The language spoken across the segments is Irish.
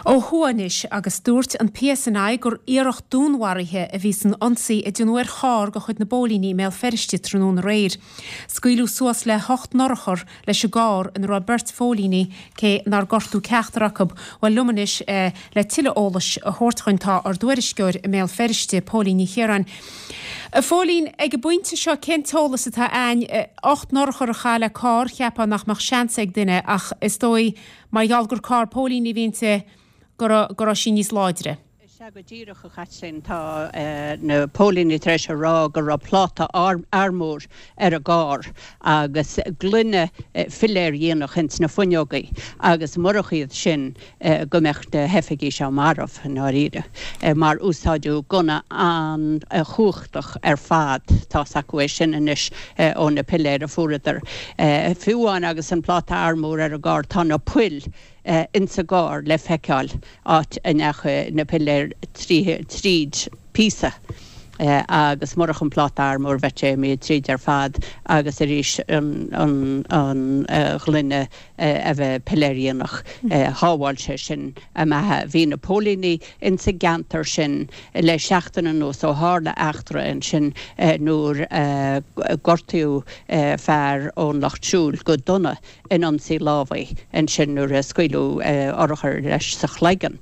Ó thuaidh anois agus dúirt an PSNI gur iarracht dúnmharaithe a bhí san ionsaí a déanadh ar charr de chuid na bpóilíní i mBéal Feirste tráthnóna aréir. Scaoileadh suas le hocht n-urchar leis an gcarr ina raibh beirt phóilíní, cé nár gortú ceachtar acu. Bhuel, liom anois le tuilleadh eolais a thabhairt dhuinn tá ár dtuairisceoir i mBéal Feirste, Póilín Ní Chiaráin. A Phóilín, ag an bpointe seo cén t-eolas atá a'ainn? Ocht n-urchar a chaitheadh le carr, cheapfá nach mbeadh seans ag duine ach is dóigh mar gheall gur carr póilíní a bhí inti go raibh sí níos láidre. Is ea go díreach, a Chaitlín. Tá na póilíní tar éis a rá go raibh pláta armúir ar an gcarr agus gloine philéardhíonach ins na fuinneogaí agus murach iad sin go mbeadh na hoifigigh seo marbh, i ndáiríre, mar úsáideadh gunna an-chumhachtach ar fad, tá's acu é sin anois ó na piléir a fuaireadar. Fiú amháin agus an pláta armúir ar an gcarr, tá na poill insa gcarr le feiceáil, áit a ndeachaigh na piléir tríd píosa agus murach an pláta armúir bheadh sé imithe tríd ar fad agus arís an ghloine a bheith piléardhíonach. Shábháil sé sin a mbeatha. Bhí na póilíní insa gceantar sin le seachtain anuas ó tharla eachtra ansin nuair a gortaíodh fear ón Lucht Siúil go dona in ionsaí lámhaigh ansin nuair a scaoileadh urchar leis sa chloigeann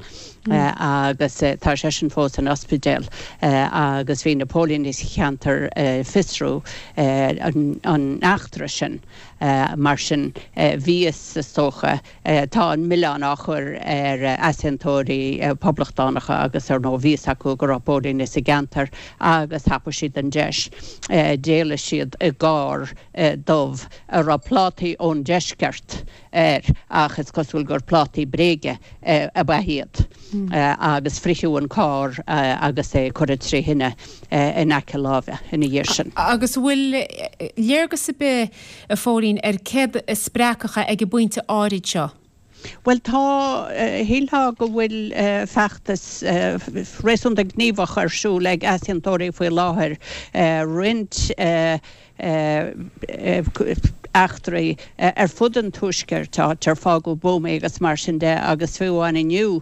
agus tá seisean fós san ospidéal agus bhí na póilíní sa cheantar ag fiosrú an eachtra sin. Mar sin bhí fhios, is dócha, tá an milleán á chur ar easaontóirí poblachtánacha agus ar ndóigh bhí fhios acu go raibh póilíní sa gceantar agus thapaigh siad an deis. D'éalaigh siad i gcarr dubh a raibh plátaí ón deisceart air ach is cosúil gur plátaí bréige ab ea iad agus fritheadh an carr agus é curtha tré thine in aice láimhe ina dhiaidh sin. Agus an bhfuil léargas ar bith, a Phóilín, ar céard a spreagfadh é ag an bpointe áirid seo? Bhuel tá, shílfeá go bhfuil feachtas réasúnta gníomhach ar siúl ag easaontóirí faoi láthair, roinnt eachtraí ar fud an tuaiscirt, áit ar fágadh buamaí agus mar sin de agus fiú amháin inniu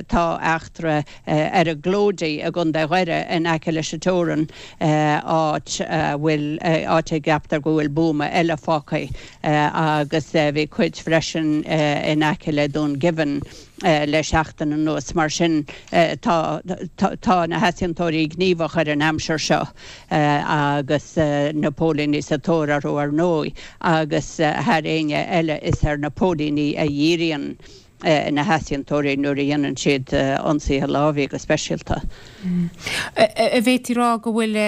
tá eachtra ar an gClóidí i gContae Dhoire in aice leis an teorainn, áit a bhfuil, áit a gceaptar go bhfuil buama eile fágtha. agus bhí cuid freisin in aice le Dún Geimhin le seachtain anuas. Mar sin tá tá na heasaontóirí gníomhach ar an aimsir seo agus na póilíní sa tóir orthu ar ndóigh agus thar éinne eile is ar na póilíní a dhíríonn na heasaontóirí nuair a dhéanann siad ionsaithe lámhaigh go speisialta. An bhféadfaí a rá go bhfuil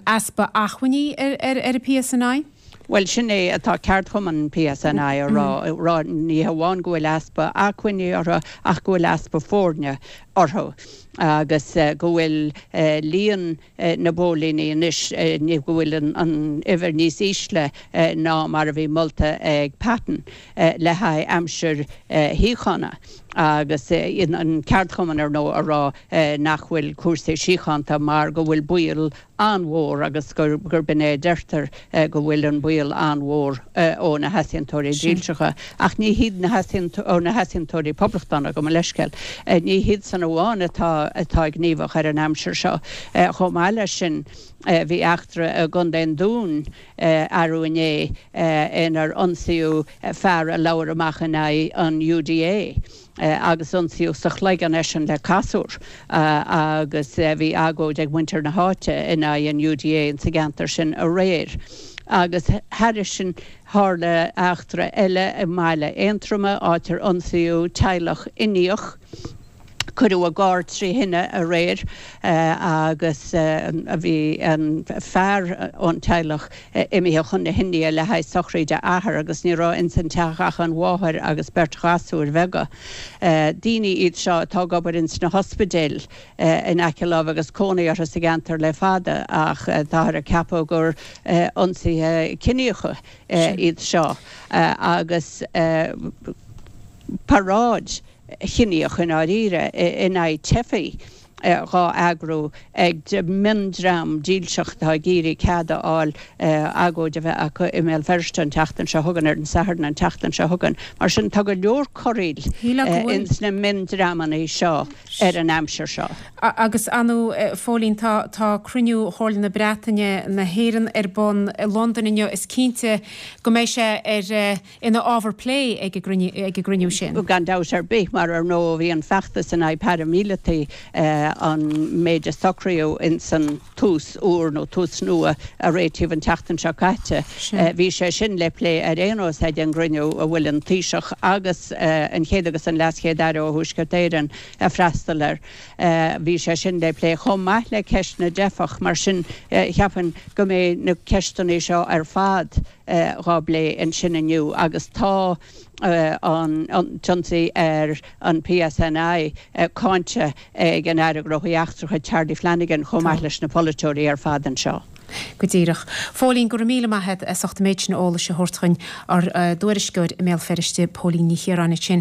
easpa acmhainní ar an PSNI? Bhuel, sin é atá ceardchumann PSNI a rá, ní hamháin go bhfuil easpa acmhainní orthu ach go bhfuil easpa foirne orthu agus go bhfuil líon na bpóilíní anois, go bhfuil an uimhir níos ísle ná mar a bhí molta ag Patten le haghaidh aimsir shíochána agus an ceardchumann ar ndóigh a rá nach bhfuil cúrsaí síochánta mar go bhfuil baol an-mhór agus gurb in é a deirtear go bhfuil an baol an-mhór ó na heasaontóirí dílseacha. Ach ní hiad na ó na heasaontóirí poblachtánacha, gabh mo leithscéal. Ní hiadsan amháin atá atá gníomhach ar an aimsir seo. Chomh maith leis sin bhí eachtra i gContae an Dúin arú inné inar ionsaíodh fear a labhair amach in aghaidh an UDA. agus ionsaíodh sa chloigeann eisean le casúr agus bhí agóid ag muintir na háite in aghaidh an UDA insa gceantar sin aréir. Agus thairis sin tharla eachtra eile i mbaile Aontroma áit ar ionsaíodh teaghlach Indiach. Cuireadh a gcarr tré thine aréir agus bhí an fear ón teaghlach imithe chun na hIndia le haghaidh sochraíde a athar agus ní raibh ins an teach ach an mháthair agus beirt ghasúir bheaga. Daoine iad seo atá ag obair ins na hospidéil in aice láimhe agus cónaí orthu sa gceantar le fada ach táthar ag ceapadh gur ionsaithe ciníocha iad seo agus paráid chiníoch i ndáiríre in aghaidh teifigh. Dhá eagrú ag miondream dílseach atá ag iarraidh cead a fháil agóid a bheith acu i mBéal Feirste an tseachtain seo chugainn, ar an Satharn an tseachtain seo chugainn. Mar sin, tá go leor corraíl ins na miondreamanna seo ar an aimsir seo. Agus ar ndóigh, a Phóilín, tá tá cruinniú Chomhairle na Breataine, na hÉireann ar bun i Londain inniu. Is cinnte go mbeidh sé ar ina ábhar plé ag an gcruinniú sin. Gan dabht ar bith, mar ar ndóigh bhí an feachtas in aghaidh paraimíleataí, an méid a socraíodh ins an tús úr nó tús nua a réitíodh an tseachtain seo caite, bhí sé sin le plé ar aon nós ag an gcruinniú a bhfuil an Taoiseach agus an Chéad agus an LeasChéad-Aire ó Thuaisceart Éireann ag freastal air. Bhí sé sin le plé chomh maith le ceist na dteifeach. Mar sin, cheapfainn go mbeidh na ceisteanna seo ar fad dhá bplé ansin inniu agus tá an t-ionsaí ar an PSNI cáinte ag an Aire Gnóthaí Eachtracha Charlie Flanagan chomh maith leis na polaiteoirí ar fad anseo. Go díreach. Phóilín, go raibh míle maith agat as ucht an méid sin eolais a thabhairt chugainn, ár dtuairisceoir i mBéal Feirste, Póilín Ní Chiaráin ansin.